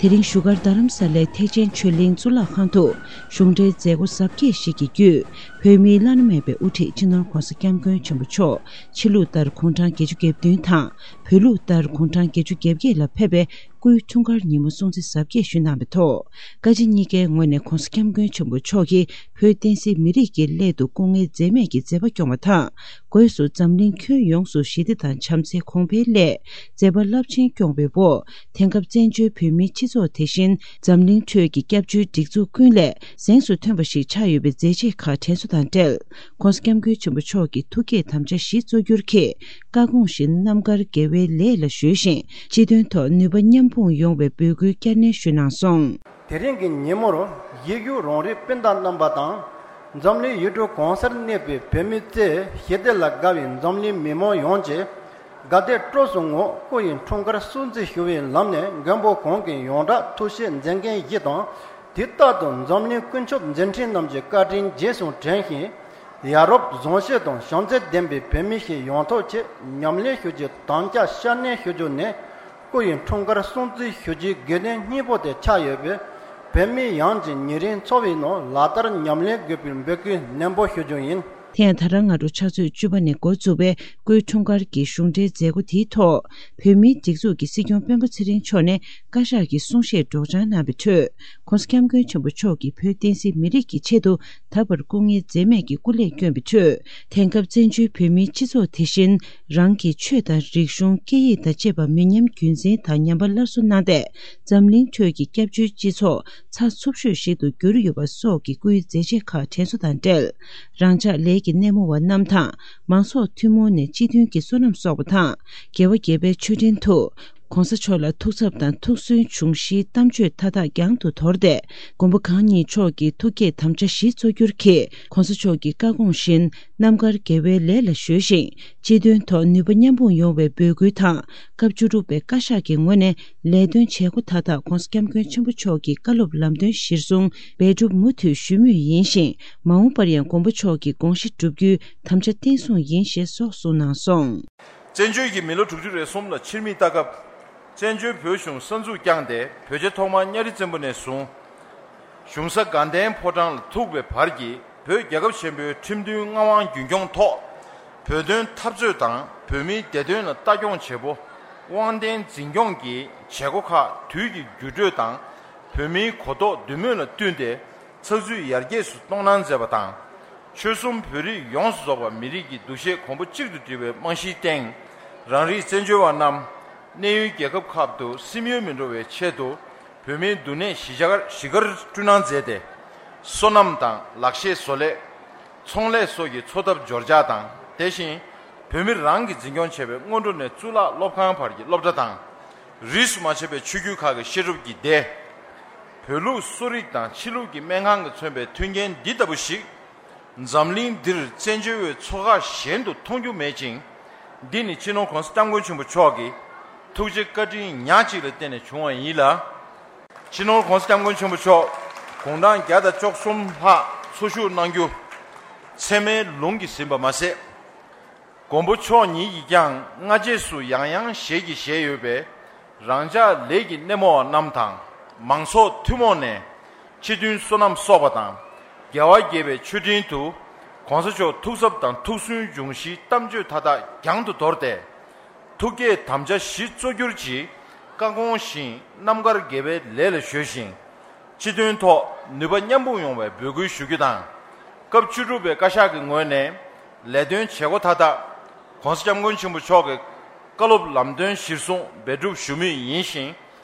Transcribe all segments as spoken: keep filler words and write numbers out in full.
དེ་རིང་བཞུགས་སྒར་རྡ་རམ་ས་ལའི་ཐེག་ཆེན་ཆོས་གླིང་གཙུག་ལག་ཁང་དུ་གཞུང་འབྲེལ་མཛད་སྒོ་གཟབ་རྒྱས་ཤིག་གི་བརྒྱུད། བོད་མིའི་བླ་ན་མེད་པའི་དབུ་ཁྲིད་སྤྱི་ནོར་༧གོང་ས་༧སྐྱབས་མགོན་ཆེན་པོ་མཆོག་ཕྱི་ལུགས་ལྟར་དགུང་གྲངས་བརྒྱད་ཅུ་གྱ་བདུན་དང་། བོད་ལུགས་ལྟར་དགུང་གྲངས་བརྒྱད་ཅུ་གྱ་བརྒྱད་ལ་ཕེབས་པའི་སྐུའི་འཁྲུངས་སྐར་ཉིན་མོ་སྲུང་བརྩི་གཟབ་རྒྱས་ཞུས་གནང་བའི་ཐོག་བཀའ་སྤྱི་གཉིས་ཀའི་ངོས་ནས་༧གོང་ས་༧སྐྱབས་མགོན་ཆེན་པོ་མཆོག་གིས་བོད་བསྟན་སྲིད་མི་རིགས་ཀྱི་སླད་དུ་སྐུ་ངལ་འཛེམས་མེད་ཀྱི་མཛད་པ་སྐྱོང་བ་དང་། སྒོས་སུ་འཛམ་གླིང་ཁྱོན་ཡོངས་སུ་ཞི་བདེ་དང་བྱམས་བརྩེ་གོང་འཕེལ་སླད་མཛད་པ་རླབས་ཆེན་སྐྱོང་བའི་འོག་དེང་སྐབས་བཙན་བྱོལ་བོད་མིའི་སྤྱི་ཚོགས་དེ་བཞིན་འཛམ་གླིང་ཁྲོད་ཀྱི་སྐྱབས་བཅོལ་སྒྲིག་འཛུགས་ཀུན་ལས་གཟེངས་སུ་ཐོན་པ་ཞིག་ཆགས་ཡོད་པའི་མཛད་རྗེས་ཁག་དྲན་གསོ་དང་འབྲེལ། ༸གོང་ས་༸སྐྱབས་མགོན་ཆེན་པོ་མཆོག་གི་ཐུགས་བསྐྱེད་དམ་བཅའ་བཞི་གཙོ་གྱུར་གྱི་བཀའ་དགོངས་བཞིན་རྣམ་དཀར་དགེ་བའི་ལས་ལ་གཞོལ་ཞིང་། སྤྱི་དོན་ཐོག་ནུས་པ་མཉམ་སྤུངས་ཡོང་བའི་འབོད་སྐུལ་བསྐྱར་ནན་ཞུས་གནང་སོང་། དེ་རིང་གི་ཉིན་མོར་ཡིད་གཡུག་རང་རིགས་སྤུན་ཟླ་རྣམ་པ་དང་། འཛམ་གླིང་ཡུལ་གྲུ་གང་སར་གནས་པའི་བོད་མི་བཅས་ཞི་བདེ་ལ་དགའ་བའི་འཛམ་གླིང་མི་མང་ཡོངས་ཀྱིས་དགའ་དད་སྤྲོ་གསུམ་ངང་སྐུ་ཡི་འཁྲུངས་སྐར་སྲུང་བརྩི་ཞུ་བའི་ལམ་ནས་མགོན་པོ་གང་གི་ཡོངས་གྲགས་ཐུགས་བཞེད་མཛད་འགན་བཞེས་དང་། དུས་རྟག་ཏུ་འཛམ་གླིང་ཀུན་ཁྱབ་མཛད་འཕྲིན་རྣམས་ཀྱི་བཀའ་དྲིན་རྗེས་སུ་དྲན་ཞིང་། ཡ་རབས་བཟང་སྤྱོད་དང་བྱམས་བརྩེ་ལྡན་པའི་བོད་མི་ཞིག་ཡོང་ཐབས་ཆེད་ཉམས་ལེན་ཞུ་རྒྱུའི་དམ་བཅའ་བསྐྱར་ནན་ཞུ་རྒྱུ་ནི། སྐུ་ཡི་འཁྲུངས་སྐར་སྲུང་བརྩི་ཞུ་རྒྱུའི་དགོས་དོན་སྙིང་པོ་དེ་ཆགས་ཡོད་པས། བོད་མི་ཡོངས་ཀྱིས་ཉིན་རེའི་འཚོ་བའི་ནང་ལག་བསྟར་ཉམས་ལེན་དགོས་པའི་འབོད་སྐུལ་ནན་པོ་ཞུ་རྒྱུ་ཡིན། དེ་ཡང་ད་རང་སྔ་དྲོ་ཕྱག་ཚོད་བཅུ་པ་ནས་འགོ་བཙུགས་པའི་སྐུའི་འཁྲུངས་སྐར་གྱི་གཞུང་འབྲེལ་མཛད་སྒོ་དེའི་ཐོག་བོད་མིའི་སྒྲིག་འཛུགས་ཀྱི་སྲིད་སྐྱོང་སྤེན་པ་ཚེ་རིང་མཆོག་ནས་བཀའ་ཤག་གི་གསུང་བཤད་སྒྲོག་སྦྱང་གནང་བའི་ཁྲོད། ༸གོང་ས་༸སྐྱབས་མགོན་ཆེན་པོ་མཆོག་གིས་བོད་བསྟན་སྲིད་མི་རིགས་ཀྱི་ཆེད་དུ་ད་བར་སྐུ་ངལ་འཛེམས་མེད་ཀྱི་སྐུ་ལས་བསྐྱོན་པའི་ཁྲོད། དེང་སྐབས་བཙན་བྱོལ་བོད་མིའི་སྤྱི་ཚོགས་དེ་བཞིན་རང་གི་ཆོས་དང་རིག་གཞུང་། སྐད་ཡིག་དང་བཅས་པ་མི་ཉམས་རྒྱུན་འཛིན་དང་ཉམས་པ་སླར་གསོ་གནང་སྟེ། འཛམ་གླིང་ཁྲོད་ཀྱི་སྐྱབས་བཅོལ་སྤྱི་ཚོགས་ཚགས་ཚུད་ཤོས་ཤིག་ཏུ་གྱུར་ཡོད་པ་སོགས་ཀྱི་སྐུའི་མཛད་རྗེས་ཁག་དྲན་གསོ་དང་འབྲེལ། རང་ཅག་ལས་ཀྱི་སྣེ་མོ་བ་རྣམས་དང་། མང་ཚོགས་ཐུན་མོང་ནས་སྤྱི་མཐུན་གྱི་བསོད་ནམས་གསོག་པ་དང་། རྒྱལ་བ་དགྱེས་པའི་མཆོད་སྤྲིན་དུ། ༸གོང་ས་མཆོག་ལ་ཐུགས་འཚབ་དང་ཐུགས་སུན་འབྱུང་བཞིའི་གཏམ་བརྗོད་མཐའ་དག་རྒྱང་དུ་དོར་ཏེ། མགོན་པོ་གང་ཉིད་མཆོག་གི་ཐུགས་བསྐྱེད་དམ་བཅའ་བཞི་གཙོ་གྱུར་གྱིས་༸གོང་ས་མཆོག་གི་བཀའ་དགོངས་བཞིན་རྣམ་དཀར་དགེ་བའི་ལས་ལ་གཞོལ་ཞིང་། སྤྱི་དོན་ཐོག་ནུས་པ་མཉམ་སྤུངས་ཡོང་བའི་འབོད་སྐུལ་དང་། སྐབས་བཅུ་དྲུག་པའི་བཀའ་ཤག་གི་ངོས་ནས་ལས་དོན་བྱེད་སྒོ་མཐའ་དག་༸གོང་ས་༸སྐྱབས་མགོན་ཆེན་པོ་མཆོག་གི་བཀའ་སློབ་ལམ་སྟོན་གཞིར་བཟུང་འབད་སྒྲུབ་མུ་མཐུད་ཞུ་མུས་ཡིན་ཞིང་། མ་འོངས་པར་ཡང་མགོན་པོ་མཆོག་གི་དགོངས་གཞི་བསྒྲུབ་རྒྱུའི་དམ་བཅའ་བརྟན་སྲུང་ཡིན་ཞེས་སོགས་གསུངས་གནང་སོང་། བཙན་བྱོལ་གྱི་མི་ལོ་དྲུག་ཅུ་རེ་གསུམ་ལ་ཕྱིར་མིག་ལྟ་སྐབས། བཙན་བྱོལ་བོད་གཞུང་གསར་འཛུགས་བསྐྱངས་ཏེ། བོད་རྒྱལ་ཐོག་མར་གཉའ་རི་བཙན་པོ་ནས་བཟུང་། གཞུང་ས་དགའ་ལྡན་ཕོ་བྲང་ལ་ཐུག་པའི་བར་གྱི་བོད་རྒྱལ་ཁབ་ཆེན་པོའི་ཁྲིམས་མཐུན་མངའ་དབང་རྒྱུན་སྐྱོང་ཐོག་བོད་དོན་འཐབ་རྩོད་དང་བོད་མིའི་བདེ་དོན་ལ་ལྟ་སྐྱོང་བྱེད་པོ། དབང་ལྡན་འཛིན་སྐྱོང་གི་བྱེད་སྒོ་ཁག་དུས་ཀྱི་འགྱུར་འགྲོས་དང་། བོད་མིའི་གོ་རྟོགས་འདུན་མོས་ལ་བསྟུན་ཏེ། ཚགས་ཚུད་ཡར་རྒྱས་སུ་གཏོང་གནང་མཛད་པ་དང་། ཆོལ་གསུམ་བོད་རིགས་ཡོངས་སུ་རྫོགས་པ་མི་རིགས་ཀྱི་འདུ་ཤེས་གོང་བུ་གཅིག་ཏུ་བསྒྲིལ་བའི་རྨང་གཞིའི་སྟེང་། རང་རིགས་བཙན་བྱོལ་བ་རྣམས་གནས་ཡུལ་རྒྱལ་ཁབ་ཁག་ཏུ་སིམ་ཡུལ་མི་འགྲོ་བའི་ཆེད་དུ། བོད་མིའི་འདུ་གནས་གཞིས་ཆགས་གཞིས་སྒར་བསྐྲུན་གནང་མཛད་དེ། སོ་ནམ་དང་ལག་ཤེས་བཟོ་ལས། ཚོང་ལས་སོགས་ཀྱི་འཚོ་ཐབས་འབྱོར་འཇགས་དང་། དེ་བཞིན་བོད་མི་རང་གིས་འཛིན་སྐྱོང་བྱེད་པའི་སྔོན་འགྲོ་ནས་གཙུག་ལག་སློབ་ཁང་བར་གྱི་སློབ་གྲྭ་དང་། རིས་སུ་མ་ཆད་པའི་ཆོས་བརྒྱུད་ཁག་གི་བཤད་སྒྲུབ་ཀྱི་སྡེ། བོད་ལུགས་གསོ་རིག་དང་ཕྱི་ལུགས་ཀྱི་སྨན་ཁང་གིས་མཚོན་པའི་མཐུན་རྐྱེན་འདི་ལྟ་བུ་ཞིག་འཛམ་གླིང་འདིར་བཙན་བྱོལ་བའི་ཚོ་ཁག་གཞན་དུ་མཐོང་རྒྱུ་མེད་ཅིང་། འདི་ནི་སྤྱི་ནོར་༸གོང་ས་༸སྐྱབས་མགོན་ཆེན་པོ་མཆོག་གི་ཐུགས་རྗེ་བཀའ་དྲིན་ཉག་གཅིག་ལ་བརྟེན་ནས་བྱུང་བ་ཡིན་ལ། སྤྱི་ནོར་༸གོང་ས་༸སྐྱབས་མགོན་ཆེན་པོ་མཆོག་དགུང་གྲངས་བརྒྱ་དང་བཅུ་གསུམ་ལྷག་འཚོ་བཞུགས་གནང་རྒྱུ་ཚད་མའི་ལུང་གིས་ཟིན་པ་མ་ཟད། མགོན་པོ་མཆོག་ཉིད་ཀྱིས་ཀྱང་སྔ་རྗེས་སུ་ཡང་ཡང་ཞལ་གྱིས་བཞེས་ཡོད་པས། རང་ཅག་ལས་ཀྱི་སྣེ་མོ་བ་རྣམས་དང་མང་ཚོགས་ཐུན་མོང་ནས་སྤྱི་མཐུན་བསོད་ནམས་གསོག་པ་དང་། རྒྱལ་བ་དགྱེས་པའི་མཆོད་སྤྲིན་དུ་༸གོང་ས་མཆོག་ཐུགས་འཚབ་དང་ཐུགས་སུན་འབྱུང་བཞིའི་གཏམ་བརྗོད་མཐའ་དག་རྒྱང་དུ་དོར་ཏེ། ཐུགས་བསྐྱེད་དམ་བཅའ་བཞི་གཙོ་གྱུར་གྱི་བཀའ་དགོངས་བཞིན་རྣམ་དཀར་དགེ་བའི་ལས་ལ་གཞོལ་ཞིང་། སྤྱི་དོན་ཐོག་ནུས་པ་མཉམ་སྤུངས་ཡོང་བའི་འབོད་སྐུལ་ཞུ་རྒྱུ་དང་། སྐབས་བཅུ་དྲུག་པའི་བཀའ་ཤག་གི་ངོས་ནས་ལས་དོན་བྱེད་སྒོ་མཐའ་དག་༸གོང་ས་༸སྐྱབས་མགོན་ཆེན་པོ་མཆོག་གི་བཀའ་སློབ་ལམ་སྟོན་གཞིར་བཟུང་འབད་སྒྲུབ་ཞུ་མུས་ཡིན་ཞིང་།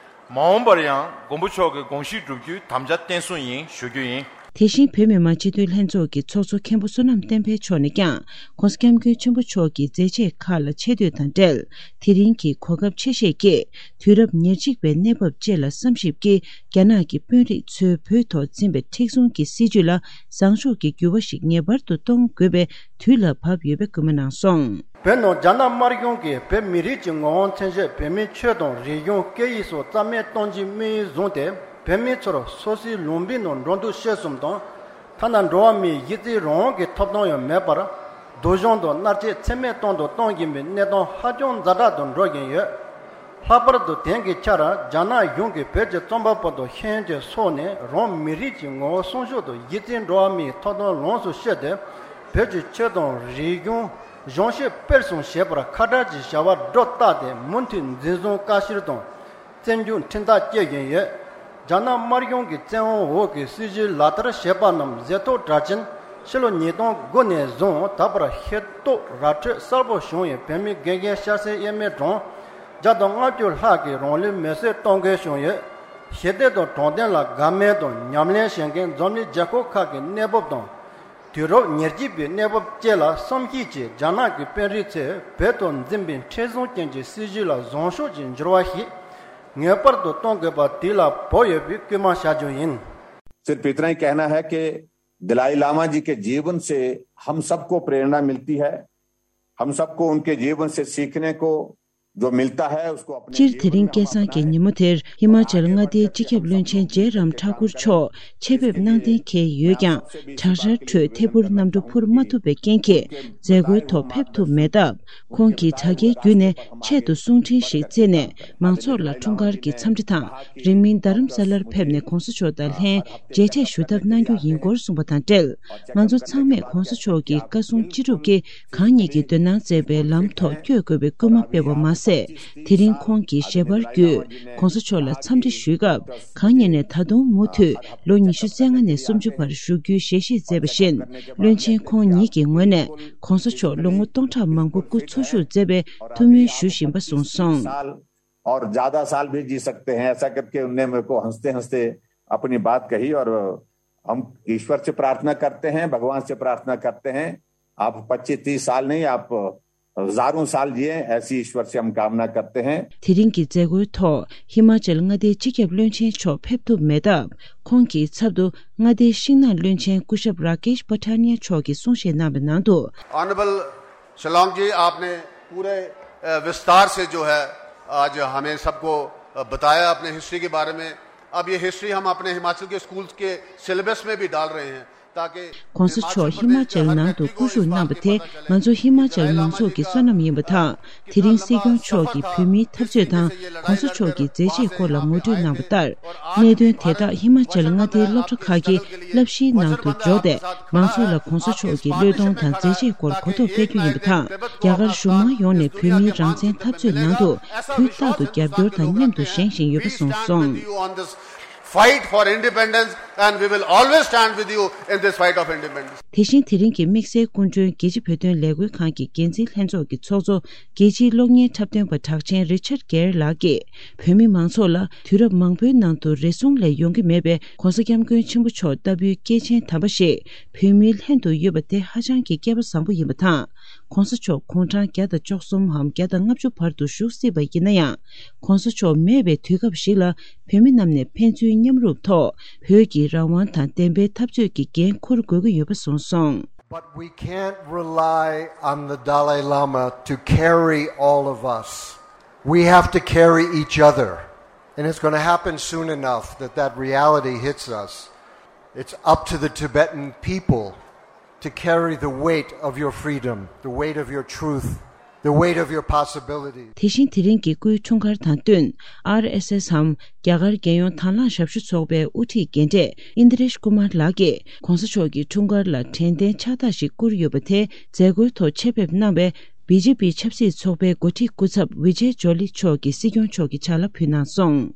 མ་འོངས་པར་ཡང་མགོན་པོ་མཆོག་གི་དགོངས་གཞི་བསྒྲུབ་རྒྱུའི་དམ་བཅའ་བརྟན་སྲུང་ཡིན་ཞུ་རྒྱུ་ཡིན། དེ་བཞིན་བོད་མི་མང་སྤྱི་འཐུས་ལྷན་ཚོགས་ཀྱི་ཚོགས་གཙོ་མཁན་པོ་བསོད་ནམས་བསྟན་འཕེལ་མཆོག་ནས་ཀྱང་༸གོང་ས་༸སྐྱབས་མགོན་ཆེན་པོ་མཆོག་གི་མཛད་རྗེས་ཁག་ལ་ཆེ་བསྟོད་དང་འབྲེལ། དེ་རིང་གི་གོ་སྐབས་ཆེ་ཤོས་ཀྱིས་དུས་རབས་ཉེར་གཅིག་པའི་གནས་བབ་བཅས་ལ་བསམ་ཞིབ་ཀྱིས། རྒྱ་ནག་གི་དཔོན་རིགས་ཚོས་བོད་ཐོག་འཛིན་པའི་མཁྲེགས་བཟུང་གི་སྲིད་བྱུས་ལ་བཟང་ཕྱོགས་ཀྱི་འགྱུར་བ་ཞིག་ངེས་པར་དུ་གཏོང་དགོས་པའི་དུས་ལ་བབ་ཡོད་པའི་སྐུལ་མ་གནང་སོང་། བོད་ནང་རྒྱ་ནག་དམར་གཞུང་གིས་བོད་མི་རིགས་ཀྱི་ངོ་བོ་མཚོན་བྱེད་བོད་མིའི་ཆོས་དང་རིག་གཞུང་སྐད་ཡིག་སོགས་རྩ་མེད་གཏོང་རྒྱུའི་དམིགས་ཡུལ་བཟུང་སྟེ། བོད་མི་ཚོར་སོ་སོའི་ལུང་པའི་ནང་འགྲོ་འདུག་སྤྱོད་གསུམ་དང་། ཐ་ན་འགྲོ་བ་མིའི་གཞི་རྩའི་རང་དབང་གི་ཐོབ་ཐང་ཡང་མེད་པར། སྡུག་སྦྱོང་དང་མནར་གཅོད་ཚད་མེད་གཏོང་དང་གཏོང་བཞིན་པའི་གནས་སྟངས་ཧ་ཅང་ཛ་དྲག་ཏུ་འགྲོ་བཞིན་ཡོད། ལྷག་པར་དུ་དེང་གི་ཆར་རྒྱ་ནག་གཞུང་གིས་བོད་ཀྱི་རྩོམ་པ་པོ་དང་ཤེས་ཡོན་ཅན་སོགས་ནས་རང་མི་རིགས་ཀྱི་ངོ་བོ་སྲུང་སྐྱོབ་དང་གཞི་རྩའི་འགྲོ་བ་མིའི་ཐོབ་ཐང་ལོངས་སུ་སྤྱོད་དེ། བོད་ཀྱི་ཆོས་དང་རིག་གཞུང་། གཞུང་ཤེས་སྤེལ་གསུམ་བྱེད་པར་ཁ་བྲལ་གྱི་བྱ་བ་སྒྲོ་བཏགས་ཏེ། མུ་མཐུད་འཛིན་བཟུང་བཀའ་བཤེར་དང་། བཙོན་འཇུག་ཁྲིམས་ཐག་བཅད་བཞིན་ཡོད། རྒྱ་ནག་དམར་གཞུང་གི་བཙན་དབང་འོག་གི་སྲིད་བྱུས་ལག་བསྟར་བྱས་པ་རྣམས་གཟེངས་རྟོག་དྲག་ཅིང་། ཕྱི་ལོ་ཉིས་སྟོང་དགུ་ནས་བཟུང་ད་བར་ཤེས་རྟོགས་ར་འཕྲོད་གསལ་པོ་བྱུང་བའི་བོད་མི་དགེ་རྒན་སྐྱ་སེར་དབྱེར་མེད་གྲངས་བརྒྱ་དང་ལྔ་བཅུ་ལྷག་གིས་རང་ལུས་མེར་སྲེག་གཏོང་དགོས་བྱུང་ཡོད། ཞི་བདེ་དང་དྲང་བདེན་ལ་དགའ་མོས་དང་ཉམས་ལེན་བྱེད་མཁན་འཛམ་གླིང་རྒྱལ་ཁབ་ཁག་གི་གནས་བབ་དང་། དུས་རབས་ཉེར་གཅིག་པའི་གནས་བབ་བཅས་ལ་བསམ་གཞིགས་ཀྱིས། རྒྱ་ནག་གི་དཔོན་རིགས་ཚོས་བོད་དུ་འཛིན་པའི་མཁྲེགས་བཟུང་ཅན་གྱི་སྲིད་བྱུས་ལ་བཟང་ཕྱོགས་ཀྱི་འགྱུར་བ་ཞིག་ངེས་པར་དུ་གཏོང་དགོས་པ་དེ་ལ་བོད་ཡོད་པའི་སྐུལ་མ་བྱ་རྒྱུ་ཡིན། सिर्फ इतना ही कहना है कि दलाई लामा जी के जीवन से हम सबको प्रेरणा मिलती है। हम सबको उनके जीवन से सीखने को जो मिलता है, उसको अपने སྤྱིར། དེ་རིང་སྐལ་བཟང་གི་ཉིན་མོ་དེར་ཧི་མ་ཅལ་མངའ་སྡེའི་སྤྱི་ཁྱབ་བློན་ཆེན་ཇེ་རམ་ཐ་ཀུར་མཆོག་ཆེད་ཕེབས་གནང་གཏན་འཁེལ་ཡོད་ཀྱང་། གྲང་ཤར་ཁྲོད་ཐད་འཕུར་གནམ་གྲུ་འཕུར་མ་ཐུབ་པའི་རྐྱེན་གྱིས་མཛད་སྒོའི་ཐོག་ཕེབས་ཐུབ་མེད་སྟབས། ཁོང་གིས་དྲ་རྒྱའི་བརྒྱུད་ནས་ཆེད་དུ་གསུང་འཕྲིན་ཞིག་བསྩལ་ནས། མང་ཚོགས་ལ་འཁྲུངས་སྐར་གྱི་འཚམས་འདྲི་དང་། རིང་མིན་རྡ་རམ་ས་ལར་ཕེབས་ནས་གོང་ས་མཆོག་དང་ལྷན་མཇལ་འཕྲད་ཞུ་ཐབས་གནང་རྒྱུ་ཡིན་སྐོར་གསུངས་པ་དང་འབྲེལ། ང་ཚོ་ཚང་མས་གོང་ས་མཆོག་གི་བཀའ་གསུང་ཅི་སྒྲུབ་ཀྱིས་གང་ཉིད་ཀྱི་འདོད་སྣང་བཙན་པའི་ལམ་ཐོག་བསྐྱོད་དགོས་པའི་སྐུལ་མ་སྤེལ་བ་མ་ཟད། དེ་རིང་ཁོང་གི་ཞལ་པར་བརྒྱུད་གོང་ས་མཆོག་ལ་འཚམས་འདྲི་ཞུས་སྐབས། གང་ཉིད་ནས་ད་དུང་མུ་མཐུད་ལོ་ཉི་ཤུ་རྩ་ལྔ་ནས་སུམ་ཅུ་བར་བཞུགས་རྒྱུའི་ཞལ་བཞེས་མཛད་པ་བཞིན། བློན་ཆེན་ཁོང་ཉིད་ཀྱི་ངོས་ནས་གོང་ས་མཆོག་ལོ་ངོ་སྟོང་ཕྲག་མང་པོ་སྐུ་འཚོ་བཞུགས་མཛད་པའི་ཐུགས་སྨོན་ཞུ་བཞིན་པ་གསུངས་སོང་། और ज्यादा साल भी जी सकते हैं, ऐसा करके उनने मेरे को हंसते हंसते अपनी बात कही। और हम ईश्वर से प्रार्थना करते हैं, भगवान से प्रार्थना करते हैं, आप पच्चीस तीस साल नहीं, आप हजारों साल जिए, ऐसी ईश्वर से हम कामना करते हैं। དེ་རིང་གི་མཛད་སྒོའི་ཐོག་ཧི་མ་ཅལ་མངའ་སྡེའི་སྤྱི་ཁྱབ་བློན་ཆེན་མཆོག་ཕེབས་ཐུབ་མེད་སྟབས། ཁོང་གི་ཚབ་ཏུ་མངའ་སྡེའི་ཤིང་ནགས་བློན་ཆེན་སྐུ་ཞབས་ར་ཀེཤ་པ་ཐ་ནི་ཡ་མཆོག་གིས་གསུང་བཤད་གནང་བའི་ནང་དུ། ऑनरेबल शिलोंग जी, आपने पूरे, अ, विस्तार से जो है, आज हमें सबको, अ, बताया अपने हिस्ट्री के बारे में। अब ये हिस्ट्री हम अपने हिमाचल के स्कूल्स के सिलेबस में भी डाल रहे हैं, ताकि གོང་ས་མཆོག་ཧི་མ་ཅལ་ནང་དུ་སྐུ་བཞུགས་གནང་བ་དེ་ང་ཚོ་ཧི་མ་ཅལ་མང་ཚོགས་ཀྱི་བསོད་ནམས་ཡིན་པ་དང་། དེ་རིང་སྲིད་སྐྱོང་མཆོག་གིས་བོད་མིའི་འཐབ་རྩོད་དང་གོང་ས་མཆོག་གི་མཛད་རྗེས་སྐོར་ལ་ངོ་སྤྲོད་གནང་བ་ལྟར། གནད་དོན་དེ་དག་ཧི་མ་ཅལ་མངའ་སྡེའི་སློབ་གྲྭ་ཁག་གི་བསླབ་གཞིའི་ནང་དུ་འཇོག་སྟེ། མང་ཚོགས་ལ་གོང་ས་མཆོག་གི་བློས་གཏོང་དང་མཛད་རྗེས་སྐོར་གོ་རྟོགས་སྤེལ་རྒྱུ་ཡིན་པ་དང་། རྒྱ་གར་གཞུང་མང་ཡོངས་ནས་བོད་མིའི་རང་བཙན་འཐབ་རྩོད་ནང་དུ་དུས་རྟག་ཏུ་རྒྱབ་སྐྱོར་དང་མཉམ་དུ་བཞེངས་བཞིན་ཡོད་པ་གསུངས་སོང་། Fight for independence, and we will always stand with you in this fight of independence. དེ་བཞིན་དེ་རིང་གི་དམིགས་བསལ་སྐུ་མགྲོན་རྒྱལ་སྤྱི་བོད་དོན་ལས་འགུལ་ཁང་གི་འགན་འཛིན་ལྷན་ཚོགས་ཀྱི་ཚོགས་གཙོ། རྒྱལ་སྤྱིའི་གློག་བརྙན་འཁྲབ་སྟོན་པ་གྲགས་ཅན་རི་ཆར་གེར་ལགས་ཀྱིས། བོད་མི་མང་ཚོགས་ལ་དུས་རབས་མང་པོའི་ནང་དུ་རེ་ཟུང་ལས་ཡོང་གི་མེད་པའི་གོང་ས་སྐྱབས་མགོན་ཆེན་པོ་མཆོག་ལྟ་བུའི་སྐྱེས་ཆེན་དམ་པ་ཞིག་བོད་མིའི་ལྷན་དུ་ཡོད་པ་དེ་ཧ་ཅང་གི་སྐལ་པ་བཟང་པོ་ཡིན་པ་དང་། གོང་ས་མཆོག་དགུང་གྲངས་བརྒྱ་དང་བཅུ་གསུམ་འམ་བརྒྱ་དང་ལྔ་བཅུ་བར་དུ་བཞུགས་སྲིད་པ་ཡིན་ན་ཡང་། གོང་ས་མཆོག་མེད་པའི་དུས་སྐབས་ཤིག་ལ་བོད་མི་རྣམས་ནས་ཕན་ཚུན་མཉམ་རུབ་ཐོག་བོད་ཀྱི་རང་དབང་དང་བདེན་པའི་འཐབ་རྩོད་ཀྱི་འགན་འཁུར་དགོས་ཀྱི་ཡོད་པ་གསུངས་སོང་། But we can't rely on the Dalai Lama to carry all of us. We have to carry each other. And it's going to happen soon enough that that reality hits us. It's up to the Tibetan people to carry the weight of your freedom, the weight of your truth, the weight of your possibility. དེ་བཞིན་དེ་རིང་གི་སྐུའི་འཁྲུངས་སྐར་དང་བསྟུན། ཨར་ཨེས་ཨེས་འམ་རྒྱ་གར་རྒྱལ་ཡོངས་དྭང་བླངས་ཞབས་ཞུ་ཚོགས་པའི་དབུ་ཁྲིད་རྒན་གྲས་ཨིན་དྲེཤ་ཀུ་མར་ལགས་ཀྱིས་གོང་ས་མཆོག་གི་འཁྲུངས་སྐར་ལ་དྲན་རྟེན་ཕྱག་རྟགས་ཤིག་བསྐུར་ཡོད་པ་དེ། མཛད་སྒོའི་ཐོག་ཆེད་ཕེབས་གནང་བའི་བི་ཇེ་པི་ཆབ་སྲིད་ཚོགས་པའི་འགོ་ཁྲིད་སྐུ་ཚབ་བི་ཇེ་ཇོ་ལི་མཆོག་གིས་སྲིད་སྐྱོང་མཆོག་གི་ཕྱག་ལ་ཕུལ་གནང་སོང་།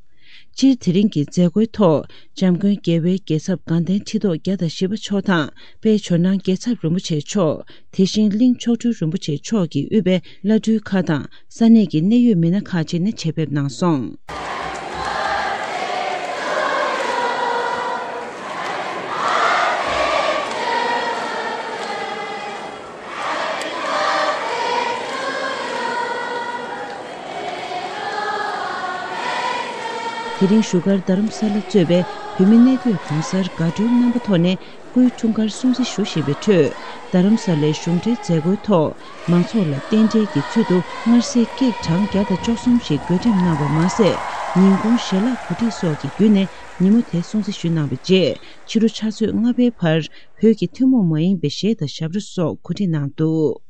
སྤྱིར་དེ་རིང་གི་མཛད་སྒོའི་ཐོག་འཇམ་མགོན་རྒྱལ་བའི་རྒྱལ་ཚབ་དགའ་ལྡན་ཁྲི་ཐོག་བརྒྱ་དང་བཞི་པ་མཆོག་དང་། དཔལ་ཇོ་ནང་རྒྱལ་ཚབ་རིན་པོ་ཆེ་མཆོག། དེ་བཞིན་གླིང་མཆོག་སྤྲུལ་རིན་པོ་ཆེ་མཆོག་གིས་དབུས་པའི་བླ་སྤྲུལ་ཁག་དང་ས་གནས་ཀྱི་གནད་ཡོད་མི་སྣ་ཁག་ཅིག་ནས་ཆེད་ཕེབས་གནང་སོང་། དེ་རིང་བཞུགས་སྒར་རྡ་རམ་ས་ལ་གཙོས་པའི་བོད་མི་གནས་སྡོད་གང་སར་དགའ་སྤྲོའི་རྣམ་པ་ཐོག་ནས་སྐུའི་འཁྲུངས་སྐར་སྲུང་བརྩི་ཞུ་བཞིན་པའི་ཁྲོད། རྡ་རམ་ས་ལའི་གཞུང་འབྲེལ་མཛད་སྒོའི་ཐོག་མང་ཚོགས་ལ་རྟེན་འབྲེལ་གྱི་ཚུལ་དུ་མངར་ཟས་ཀེག་གྲངས་བརྒྱ་དང་བཅུ་གསུམ་ཞིག་བགོ་འགྲེམས་གནང་བ་མ་ཟད། ཉིན་གུང་ཞལ་ལག་གོ་སྒྲིག་སོགས་ཀྱི་བརྒྱུད་ནས་ཉིན་མོ་དེ་སྲུང་བརྩི་ཞུས་གནང་བའི་རྗེས། ཕྱི་དྲོ་ཕྱག་ཚོད་ལྔ་པའི་བར་བོད་ཀྱི་ཐུན་མོང་མ་ཡིན་པའི་གཞས་དང་ཞབས་བྲོ་སོགས་གོ་སྒྲིག་གནང་འདུག